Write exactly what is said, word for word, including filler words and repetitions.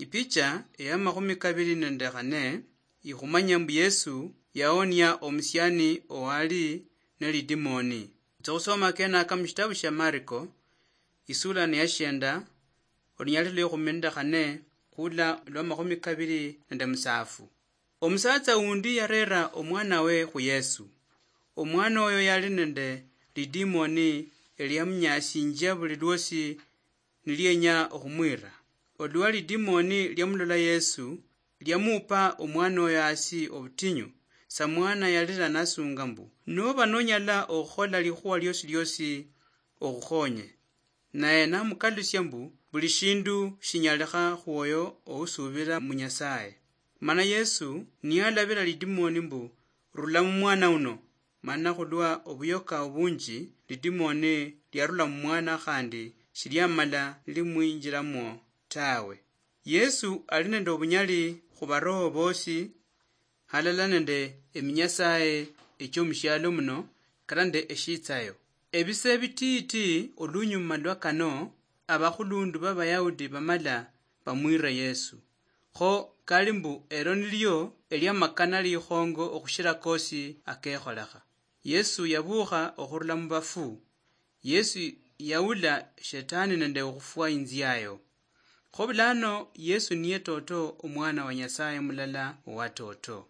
Ipicha eya makhumi kabili nende khane ikhumanya mbu Yesu yaonia omusiani owali ne lidimoni. Khutsa khusoma kenaka mushitabu shia Mariko, isula ni ya shienda, olunyali lwa ikhumi nende khane khula lwa makhumi kabili nende musafu. Omusatsa undi yarera omwanawe khu Yesu. Omwana oyo yali nende lidimoni eliamunyasinjia buli lwosi nilienya okhumwira. Olwa lidimoni liamulola Yesu, liamupa omwana oyo hasi obutinyu, samwana yalira nasunga mbu, "Noba nonyala okhukhola likhuwa liosi liosi, okhukhonye." Naye namukalusia mbu, "Buli shindu shinyalikha khwoyo ousubira mu Nyasaye." Mana Yesu niyalabira lidimoni mbu, "Rula mu mwana uno." Mana khulwa obuyoka obunji, lidimoni liarula mu mwana khandi shiliamala nilimwinjiramwo tawe. Yesu ali nende obunyali khu baroho bosi, halala nende eminyasaye echiomushialo muno, kata nende eshitsayo. Ebise bititi olunyuma lwa kano, abakhulundu b'Abayahudi bamala bamwire Yesu. Kho kali mbu elo nilio eliamakana likhongo okhushira kosi akekholekha. Yesu yabukha okhurula mu bafu. Yesu yaula shetani nende okhufwa inziayo. Kho bulano Yesu niye toto omwana wa Nyasaye mulala owa toto.